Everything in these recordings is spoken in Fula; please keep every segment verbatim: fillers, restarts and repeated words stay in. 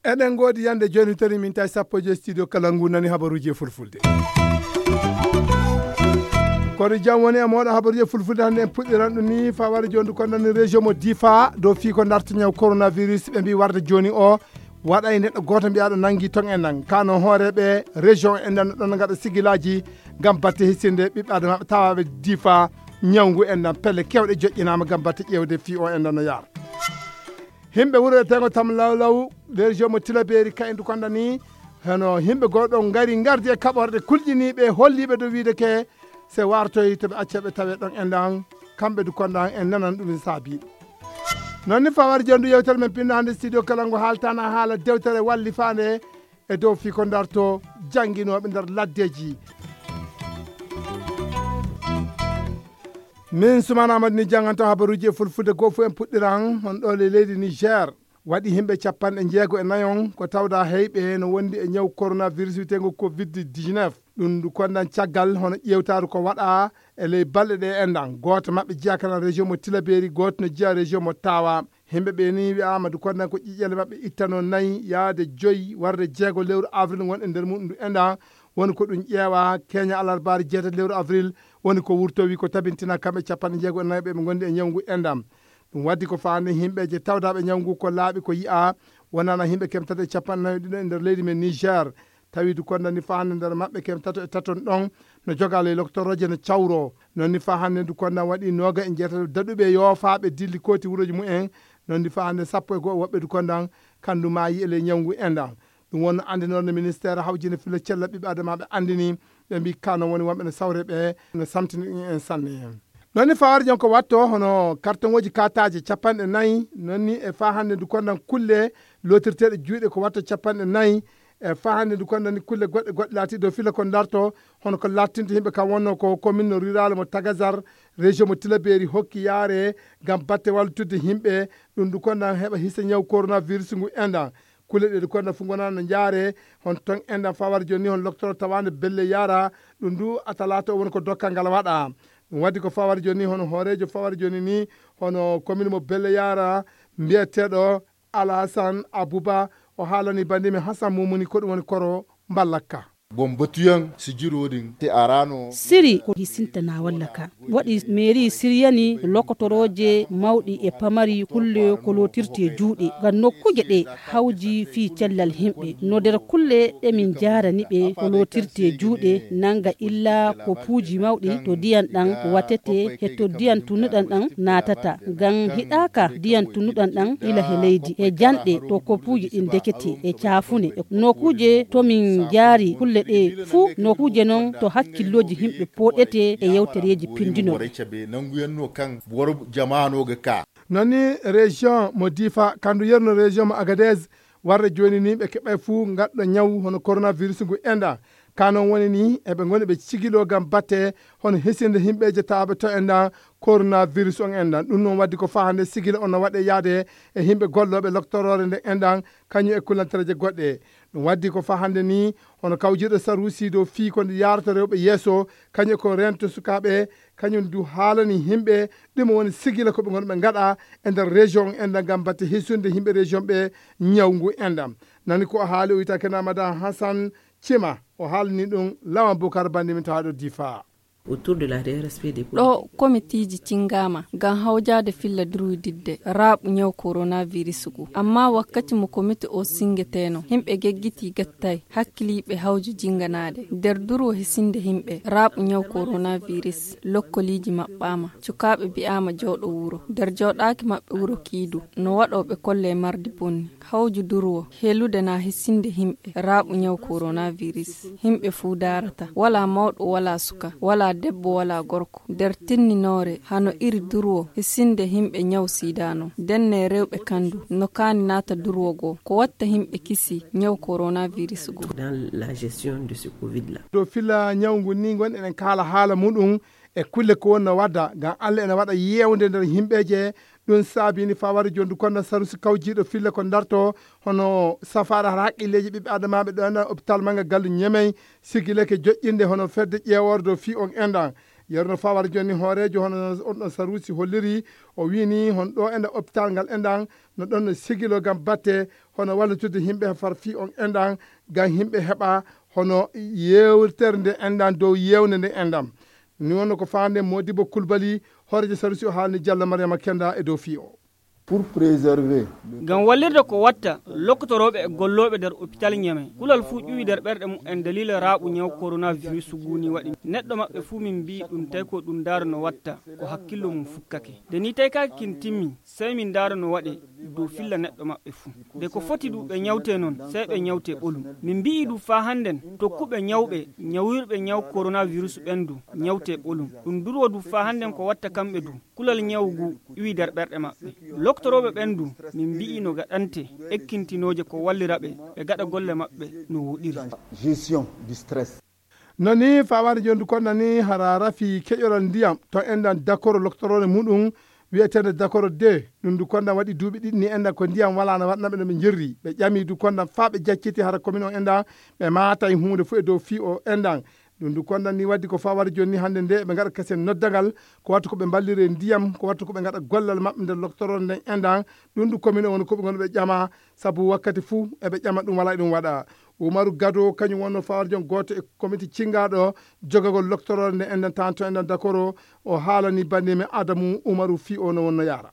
Eɗen ngoodi yande jooni, tawi min tawi sappo e joy studio kala ngu nani habaruuji e fulfulde. Kono jam woni e mooɗon, habaruuji e fulfulde hannde en puɗɗiran ɗum ni, faware jooni ndu kondan région mo Difa dow fii ko darta ñaw coronavirus, ɓe mbi warde jooni o waɗay neɗɗo gooto mbiyaɗo nangi ton e nan. Kano hooreɓe région en nan ɗon ngaɗa sigilaji ngam batte hisinde ɓiɓɓe adama tawaɓe Difa ñawngu en nan, pelle kewɗe joƴƴinama ngam batte ƴewde fii o en nan no yaara. Himɓe wuro e tengo tam lawlaw, région mo Tilaberi, kayen du konda ni, heno himɓe goɗɗo ngari ngardi e kaɓorɗe kulƴiniɓe, holliɓe dow wiide ke se wartoy to ɓe acca ɓe tawe ɗon e ndan, kamɓe du konda en nanan ɗum saabiɗo. Non ni fawar jondu yewtere men pinno hannde studio kala ngo haaltana haala dewtere wallifande e dow fii ko darto jannginooɓe nder laddeeji. Min Sumana Amadu ni jannganto habaruuji e fulfulde goo fof en puɗɗiran hon ɗo le leydi Niger. Waɗi himɓe capanɗe jeego e nayon ko tawda heyɓe no wondi e ñaw coronavirus witego covid dix-neuf. Ɗum ndu kondan caggal hono ƴeewtaaru ko waɗa e ley balɗe ɗe enɗan. Gooto maɓɓe jeyaa kana région mo Tilaberi, gooto no jeyaa région mo Tawa. Himɓe ɓe ni wi'aama du kondan ko ƴiƴƴele maɓɓe ittano nayi yaade joyi warde jeego lewru avril ngon e nder muɗum ndu enɗan. Woni ko ɗum ƴeewa keña alarbaari jeetati lewru avril, woni ko wurtowi ko tabintina kamɓe capanɗe jeego e nayo ɓe ɓe ngondi e ñawngu enɗan. Ɗum waddi ko faande himɓe je tawdaɓe ñawngu ko laaɓi ko yi'a, wonana himɓe kemtata e capanɗe nayo ɗiɗo e nder leydi men Niger. Tawi du kondan ni faa hannde nder maɓɓe kem tato e taton ɗon no joga ley loktoroje no cawro. Non ni faa hannde du kondan waɗi nooga e jeetato daɗuɓe yoofaaɓe dilli kooti wuroji mumen. Non ni faa hannde sappo e go'o woɓɓe du kondan kandu maayi e ley ñawngu enɗan. Ɗum wonno anndinorde ministeer hawjinde filla cella ɓiɓɓe adamaaɓe anndini ɓe mbi kano woni wonɓe no sawre ɓe no samtini ɗum en sanne. Non ni fawar jon ko watto hono kartongoji kataje capanɗe nayi, non ni e faa hannde du kondan kulle lotirteɗe juuɗe ko watto capanɗe nayi. E faa hannde du kondan ni kulle goɗɗe goɗɗe laati dow fila ko darto, hono ko lattinta yimɓe kam wonno ko commune rural mo Tagazar, région mo Tilaberi hokki yaare ngam batte wallitudde yimɓe. Ɗum du kondan heɓa hisa ñaw coronavirus ngu enɗan. Kulle ɗe du kondan fu gonano jaare hon ton enɗan fawar joni hon loktoro tawande belle yara. Ɗum du a talaata o woni ko dokkal ngal waɗa. Ɗum waddi ko fawar joni hono hoorejo fawar joni ni hono commune mo belle yara mbiyeteɗo Alasan Abuba. O haalani bandimi Hasan Mumuni ko ɗum woni koro mballakka. Bon batuyan si jiroɗin te arano. Siri ko hisintana walla ka waɗi mairie siriyani lokotoroje mawɗi e pamari kulle ko lotirte juuɗe ngam nokkuje ɗe hawji fii cellal himɓe. No nder kulle ɗe min njaarani ɓe ko lotirte juuɗe nanga illa ko puuji mawɗi to diyan ɗan watete he to diyan tunnuɗan ɗan naatata ngam hiɗaaka diyan tunnuɗan ɗan ila he leydi he janɗe to ko puuji ɗin dekete e caafune e nokuuje to min njaari kulle ɗe fuu nokuuje non to hakkillooji himɓe pooɗete e yewtereeji pindinoɗe. Nanguyanno kan woro jamaanoga ka. Non ni région mo Difa kandu yerno région mo Agadez warre jooni ni ɓe keɓay fuu ngaɗɗo ñaw hono coronavirus ngu enɗa. Ka non woni ni eɓe ngoni ɓe cigilo ngam batte hono hisinde himɓeeje tawaaɓe to enɗan coronavirus on enɗan. Ɗum non waddi ko faa hannde sigila on no waɗe yaade e himɓe gollooɓe loktoroore nde enɗan kañum e kullantereeje goɗɗe. Ɗum waddi ko faa hannde ni hono kawjiiɗo saruusi dow fii ko nde yaarata rewɓe yeeso kañum e ko reento sukaaɓe kañum du haalani himɓe ɗum woni sigila ko ɓe ngonɓe ngaɗa e nder région enɗan ngam batte hisunde himɓe région ɓe ñaw ngu enɗan. Nani ko o haali o wiyata kena madame Hassan Cima o haalani ɗum Lawan Bukar bandi min tawaɗo Difa. Autour de la D R S P des ɗo komitiiji cingaama ngam hawjaade filla durwididde raaɓu ñaw coronavirus ngu. Amma wakkati mo komiti o singeteeno, himɓe geggitii gattay hakkiliiɓe hawju jinganaade. Nder durwo hisinde himɓe raaɓu ñaw coronavirus, lokkoliiji maɓɓaama. Cukaaɓe bi'aama jooɗo wuro. Nder jooɗaaki maɓɓe wuro kiidu, no waɗoo ɓe kollee mardi bonni. Hawju durwo, helude na hisinde himɓe raaɓu ñaw coronavirus. Himɓe fuu daarata. Walaa mawɗo, walaa suka, walaa debbo, walaa gorko. Nder tinninoore, hano iri durwo, hisinde himɓe ñaw sida non. Denne rewɓe kandu, no kaani naata durwo goo. Ko watta himɓe kisi ñaw coronavirus goo. Dans la gestion de ce covid là. Dow filla ñaw ngu ni ngon eɗen kaala haala muɗum e kulle ko wonno wadda ngam Allah ene waɗa yewnde nder yimɓeeje Ɗum saabini fawari jondu konda sarusi kawjiiɗo filla ko darto hono safaara hara haqqilleeji ɓiɓɓe adamaaɓe ɗo ena hôpital mannga gallu Ñemey, sigileke joƴƴinde hono fedde ƴeewordo fii on enɗan. Yerno fawari jonni hooreejo hono on ɗon sarusi holliri, o wiini hon ɗo enɗan hôpital ngal enɗan no ɗon no sigilo ngam batte hono wallitude yimɓe far fii on enɗan, ngam yimɓe heɓa hono yeewtere nde enɗan dow yeewnde nde enɗan. Ni wonno ko faande Modibo Kulbali, hooreejo sarusi o haalni Diallo Mariama Kenda e dow fii o. Pour préserver. Ngam wallirde ko watta lokkotorooɓe e gollooɓe nder hôpital Ñeme, kulal fuu ƴuwi nder ɓerɗe mum en daliila raaɓu ñaw coronavirus ngu ni waɗi. Neɗɗo maɓɓe fuu min mbi'i ɗum tawi ko ɗum ndaara no watta, ko hakkillo mum fukkake. Nde ni tawi kaa kin timmi, sey min ndaara no waɗe dow filla neɗɗo maɓɓe fuu. Nde ko foti du ɓe ñawte non, sey ɓe ñawte ɓolum. Min mbi'i du faa hannden, tokkuɓe ñawɓe, ñawirɓe ñaw coronavirus ɓen du, ñawte ɓolum. Ɗum durwo du faa hannden ko watta kamɓe du. Kulal ñawu ngu iwi nder ɓerɗe maɓɓe. Loktorooɓe ɓen du, min mbi'i no gaɗante ekkintinooje ko wallira ɓe, ɓe gaɗa golle maɓɓe no woɗiri. Gestion du stress. No ni fawaade jooni du konda ni hara rafi keƴoral ndiyam to enɗan dakoro loktoroore muɗum wi'eteende dakoro de. Ɗum du konda waɗi duuɓi ɗiɗi ni enɗan ko ndiyam walaa no waɗna ɓe no ɓe njerri. Ɓe ƴami du konda faa ɓe jacciti hara komin on enɗan ɓe maatay huunde fof e dow fii o enɗan. Ɗum du konda ni waddi ko faa wari jooni ni hannde nde ɓe ngaɗa kasen noddagal, ko wattu ko ɓe mballire ndiyam, ko wattu ko ɓe ngaɗa gollal maɓɓe nder loktoroore nden enɗan. Ɗum du komin on woni ko ɓe ngoni ɓe ƴama, sabu wakkati fuu eɓe ƴama ɗum walaa e ɗum waɗa. Umaru Gado, kañum wonno faa wari jooni gooto e komiti cinngaaɗo jogagol loktoroore nde enɗan tanto enɗan dakoro, o haalani banndi men Adamu Umaru fii o no wonno yaara.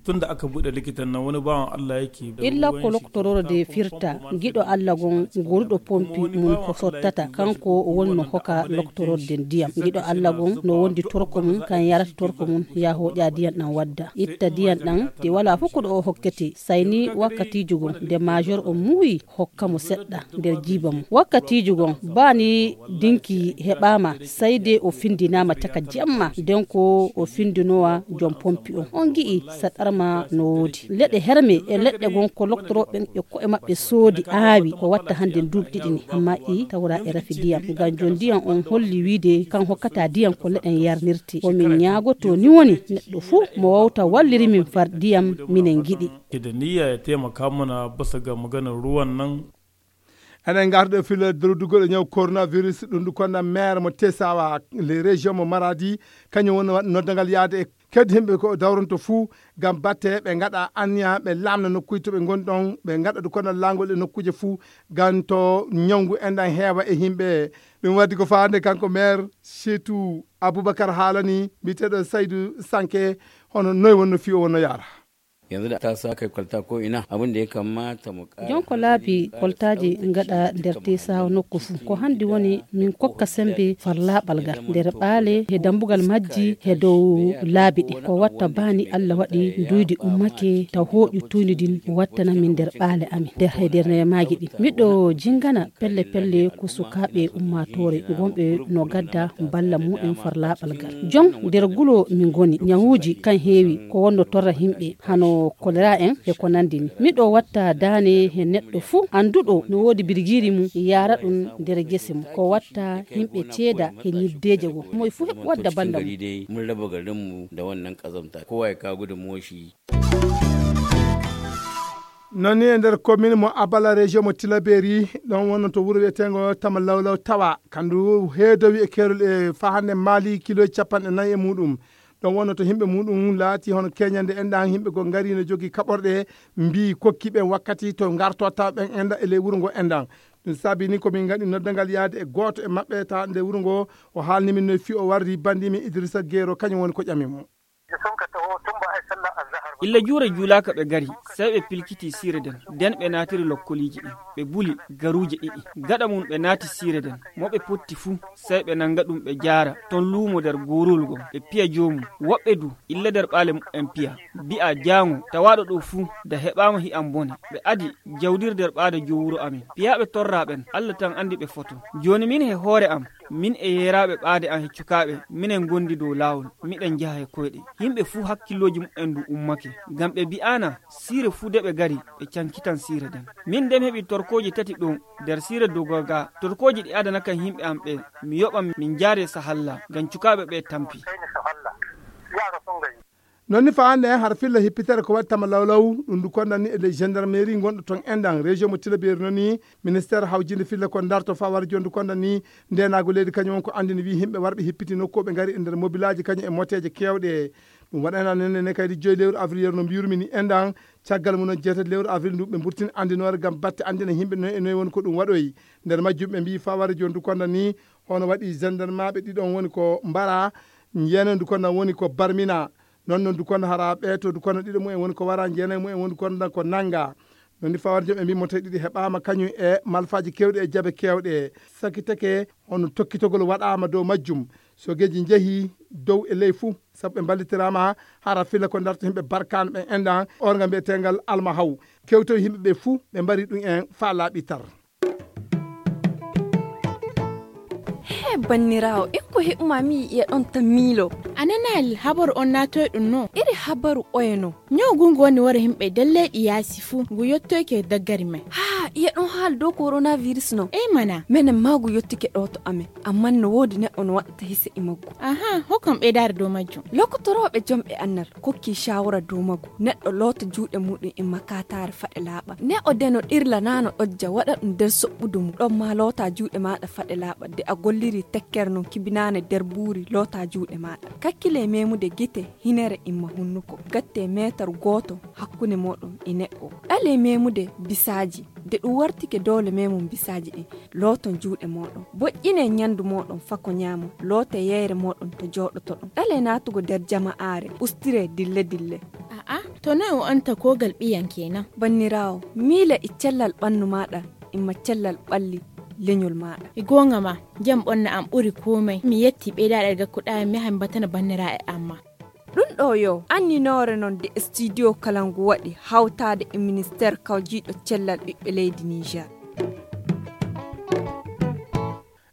Tun da aka buɗe likitan nan, wani bawan Allah yake da illa ruwan ko shi loktoroore de kyauta firta, kuma giɗo Allah gon goruɗo pompi mun ko sottata, kanko woni no hoka loktoroore den ndiyam. Giɗo Allah gon no wondi torko mun, kan yarata torko mun, ya hoƴa diyan ɗan wadda. Itta diyan ɗan, te wala fof ko ɗo o hokkete, sayni wakkatiijo gon, nde major o muuyi, hokka mo seɗɗa nder jiiba mum. Wakkatiijo gon, baa ni dinki heɓaama, sayde o findinaama caka jamma, nden ko o findinowa jom pompi on. On gi'i saɗarma no woodi. Leɗɗe herme e leɗɗe gon ko loktorooɓe ɓen e ko'e maɓɓe soodi aawi ko watta hannde duuɓi ɗiɗi ni, amma i tawra e rafi ndiyam. Ngam jom ndiyam on holli wiide kan hokkata ndiyam ko leɗɗen yarnirte. Ko min ñaagoto ni woni neɗɗo fuu mo wawta walliri min far ndiyam minen ngiɗi. Ke da niyya ya taimaka mana bisa ga maganar ruwan nan. Eɗen ngarta ɗo filo dowludugol e ñaw coronavirus, ɗum ndu konda maire mo Tesawa, les régions mo Maradi, kañum woni waɗ-, noddangal yaade e kadi yimɓe ko dawronto fuu, ngam batte ɓe ngaɗa anniya, ɓe laamna nokkuuji to ɓe ngoni ɗon, ɓe ngaɗa du konda laangol e nokkuuje fuu, ngam to ñawngu enɗan heewa e yimɓe. Ɗum waddi ko faande kanko maire Seetu Abubakar haalani, mbiyeteeɗo Saydu Sanke, hono noy wonno fii o wonno yaara. Yanzu da ta sa kai kwalta ko ina, abin da ya kamata mu ƙara jon ko laabi hankali, ƙara koltaaji sauƙaƙe ngaɗa nder tesawa nokku fuu. Ko hanndi woni min kokka sembe farlaaɓal ngal nder ɓaale he dambugal majji he dow laabi ɗi. Ko watta baani Allah waɗi nduydi ummake taw hooƴu tuyndi ndin wattana min nder ɓaale amin, nder he nder neemaaji ɗi. Miɗo jingana pelle pelle ko sukaaɓe ummaatoore gonɓe no gadda balla mu'en farlaaɓal ngal. Jon nder gulo min ngoni, ñawuuji kan heewi, ko wonno torra yimɓe, hano kolera en e ko nandi ni. Miɗo watta daane he neɗɗo fuu annduɗo no woodi birgiiri mum, yaara ɗum nder gese mum. Ko watta yimɓe ceeda he ñiddeeje goo. Moy fuu heɓ wadda balla mum. Mun raba garinmu da wannan ƙazamta. Kowa ya kawo gudunmuwar shi. Non ni e nder commune mo Abala, région mo Tilaberi, ɗon wonno to wuro wi'eteengo Tama Lawlaw Tawa, kandu heedowi e keerol e faa hannde maali kilo capanɗe nayi e muɗum. Ɗon wonno to yimɓe muɗum laati hono keñande enɗan, yimɓe goo ngari no jogii kaɓorɗe, mbii kokki ɓen wakkati to ngarto tawa ɓen enɗan e ley wuro ngo enɗan. Ɗum saabi ni ko min ngaɗi noddangal yaade e gooto e maɓɓe tawa nder wuro ngo, o haalni min no fii o warri banndi min Idrissa Gero, kañum woni ko ƴami mo. Illa juure juulaaka ɓe gari, sey ɓe pilkiti siire nden. Nden ɓe naatiri lokkoliiji ɗin, ɓe buli garuuje ɗiɗi. Gaɗa mum ɓe naati siire nden, mo ɓe potti fuu, sey ɓe nanga ɗum ɓe jaara ton luumo nder gooruwol ngon, ɓe piya joomum. Woɓɓe du, illa nder ɓaale muɓɓen piya, mbi'a, "Jaaŋo, tawaaɗo ɗo fuu, da heɓaama hi'am bone." Ɓe adi jawdiri nder ɓaade joomu wuro amin. Piyaaɓe torraa ɓen, Allah tan anndi ɓe foto. Jooni min he hoore am, min e yeeraaɓe ɓaade am he cukaaɓe, minen ngondi dow laawol, miɗen njaha he koyɗe. Yimɓe fuu hakkillooji muɓɓen du ummake, ngam ɓe bi'aana siire fuu de ɓe gari, ɓe cankitan siire nden. Min de mi heɓi torkooji tati ɗo nder siire Dogaga. Torkooji ɗi adanakan yimɓe am ɓe, mi yoɓan min njaare Sahalla, ngam cukaaɓe ɓe tampi. Noon ni faa hannde hara filla hippitere ko waɗi tama lawlaw, ɗum ndu konda ni e ley gendarmerie ngonɗo toon enɗan région mo Tilaberi. Noon ni ministère hawjinde filla ko darto faa wara jooni ndu konda ni ndeenaagu leydi kañum won ko anndini wi yimɓe warɓe hippiti nokku ɓe ngari e nder mobilaaji kañum e moteeje keewɗe. Ɗum waɗana nene ne kaydi joyi lewru avril no mbiyurmi ni enɗan. Caggal mum noon jeetati lewru avril ndu ɓe mburtini anndinoore ngam batte anndina yimɓe noy e noy woni ko ɗum waɗoyi. Nder majjum ɓe mbiyi faa wara jooni ndu konda ni hono waɗi gendarmaaɓe ɗiɗon woni ko mbara, njeenoy ndu konda woni ko barmina. Noon noon ndu konda hara ɓeeto ndu konda ɗiɗo mumen woni ko wara, njeenoy mumen woni ndu konda ko nannga. Noon ni faa wara jooni ɓe mbiyi moteeje ɗiɗi heɓaama kañum e malfaaji keewɗi e jabe keewɗe. Sakiteke hono tokkitogol waɗaama dow majjum. Sogeeji njehi dow e ley fuu, sabu ɓe mballitiraama hara filla ko darto yimɓe barkaano ɓen enɗan, orga mbiyeteengal Alma Haw. Kewtoy yimɓe ɓe fuu, ɓe mbari ɗum en faa laaɓi tar. He banniraawo, en ko heɓuma mi yi'e ɗon tan miilo. A nanaali habaru on naatoy ɗum no? Iri habaru oye no? Ñaw ngu ngu woni wara yimɓe nder leyɗi yaasi fuu, ngu yottoyke daggari men. Haa, iye ɗon haala dow coronavirus no? Ey mana. Menen maa ngu yottike ɗo to amen. Amman no woodi neɗɗo no waɗata hise e maggu. Aha, hokkam ɓeydaare dow majjum. Lokotorooɓe jomɓe annal kokki shawara dow maggu. Neɗɗo loota juuɗe muɗum e makataare faɗe laaɓa. Neɗɗo deno ɗirla naano ɗojja waɗa ɗum nder soɓɓudu mum. Ɗon maa loota juuɗe maaɗa faɗe laaɓa. De a golliri tekkere non kibinaane nder buuri loota juuɗe maaɗa. Kakkile memude gite hinere imma hunnuko. Gatte meetar gooto hakkunde mooɗon e neɗɗo. Ɗale memude bisaaji. De ɗum wartike doole memum bisaaji ɗin. Looton juuɗe mooɗon. Boƴƴine ñandu mooɗon fako ñaamo. Loote yeyre mooɗon to jooɗotoɗon. Ɗale naatugo nder jama'aare. Ustire dille dille. A'a, to noy o anta kogal ɓiyan kenan? Banniraawo, miila e cellal ɓannu maaɗa, imma cellal ɓalli leñol maaɗa. E goonga ma, jam ɓonna am ɓuri komai. Mi yetti ɓeydaɗe gakkuɗa mi yaha mi batana banniraaɓe amma. Ɗum ɗo yo anninoore noon de studio kala ngu waɗi hawtaade e ministeer kawjiiɗo cellal ɓiɓɓe leydi Niger.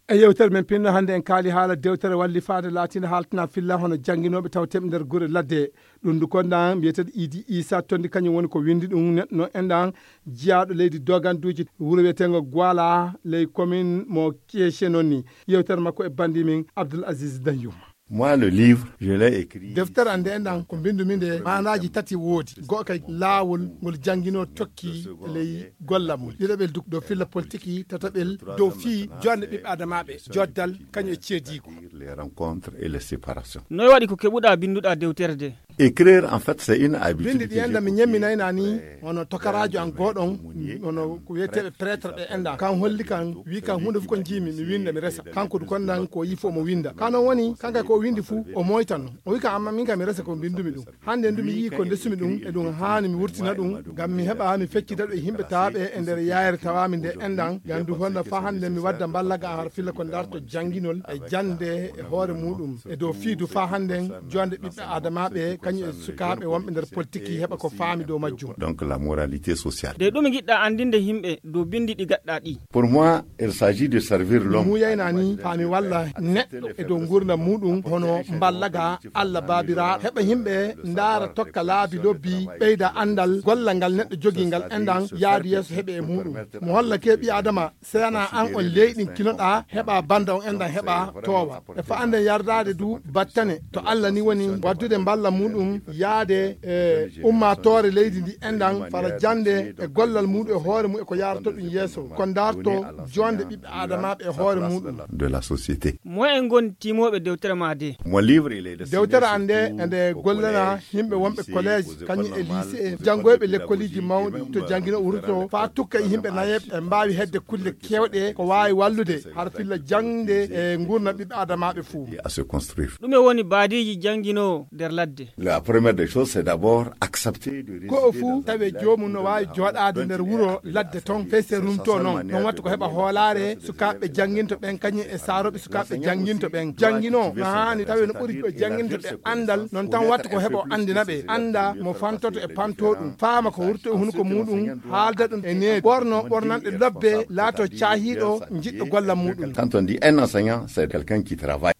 E yewtere men pinno hannde en kaali haala dewtere wallifaande laatiinde haaltana filla hono jannginooɓe tawteeɓe nder gure ladde. Ɗum ndu konda mbiyeteeɗo Idi Isa Tondi kañum woni ko winndi ɗum neɗɗo no enɗan jiyaaɗo leydi doganduuji wuro wiyeteengo Gwala ley commune mo Kieshe noon ni. Yewtere makko e banndi men Abdoul Aziz Danyuma. Moi, le livre, je l'ai écrit. Deftere an nde enɗan ko mbinndumi nde maanaaji tati woodi. Go'o kay laawol ngol jannginoo tokki ley golla mum. Ɗiɗaɓel duk dow filla politiki, tataɓel dow fii joɗnde ɓiɓɓe adamaaɓe, joddal, kañum e ceediigu. Les rencontres et les séparations. Noy waɗi ko keɓuɗa binnduɗa dewtere de? Écrire, en fait, c'est une habitude. Binndi ɗi enɗan mi ñemminayna ni, hono tokaraajo an gooɗon, hono ko wiyeteeɓe prêtre ɓe enɗan. Kan holli kan, wi kan huunde fof ko njiimi, mi winnda, mi resa. Kanko du kondan ko yii fof mo winnda. Kan on woni, kanka ko o winndi fuu, o moytan. O wi kan, amma min kam mi resa ko mbinndumi ɗum. Hannde ndu mi yii ko ndesumi ɗum, e ɗum haani mi wurtina ɗum, ngam mi heɓa mi feccita ɗum e yimɓe tawaaɓe e nder yaayere tawaami nde enɗan, ngam ndu honda faa hannde mi wadda mballaga har filla ko darto jannginol e jannde e hoore muuɗum. E dow fii du faa hannden joɗnde ɓiɓɓe adamaaɓe, kañum e sukaaɓe wonɓe nder politique heɓa ko faami dow majjum. Donc la moralité sociale. De ɗum ngiɗɗa anndinde yimɓe dow binndi ɗi gaɗɗa ɗi? Pour moi, il s'agit de servir l'homme. Muuyayna ni faa mi walla neɗɗo e dow nguurndam muuɗum hono mballaga Allah Baabiraaɗo. Heɓa yimɓe ndaara tokka laabi lobbi, ɓeyda anndal, golla ngal neɗɗo jogii ngal enɗan yaadu yeeso heɓe e muuɗum. Mo holla ke ɓi Adama, seyana an on leyɗin kinoɗa, heɓa banda on enɗan heɓa toowa. E fa'anden yardaade du battane to Allah ni woni waddude mballa muuɗum yaade e ummaatoore leydi ndi enɗan fara jannde e gollal muuɗum e hoore mum e ko yaarata ɗum yeeso. Ko ndaarto joɗnde ɓiɓɓe adamaaɓe e hoore muuɗum. De la société. Moyen ngoni timooɓe dewtere ma de? Mo livre il est destiné. Dewtere an nde surtout ende gollana yimɓe wonɓe collège, kañum e lycée, janngoyɓe lekkoliji mawɗi to janngino wurto, faa tukka e yimɓe nayeɓe e mbaawi hedde kulle keewɗe ko waawi wallude har filla jaŋde e nguurndam ɓiɓɓe adamaaɓe fuu. À se construire. Ɗume woni baadiiji jannginoo nder ladde? La première des choses, c'est d'abord accepter de ko o résider fuu dans un tawi village joomum no comme waawi dans jooɗaade nder wuro ladde toon, fese rumto noon. Noon watta ko heɓa hoolaare sukaaɓe jannginto ɓen, kañum e saarooɓe sukaaɓe jannginto ɓen. Jannginoo no haani tawi no ɓuri ɓe jannginto ɓe anndal, noon tan watta ko heɓa o anndina ɓe, annda mo fantoto e pantoo ɗum, faama ko wurto e hunuko muuɗum, haalda ɗum e needi, ɓorno ɓornanɗe lobbe, laato caahiiɗo, jiɗɗo golla muuɗum. Quand on dit un enseignant, c'est quelqu'un qui travaille.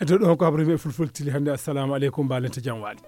E dow ɗon ko habaru men fulfulde tili hannde. Assalamu aleykum, mbaalente jam waali.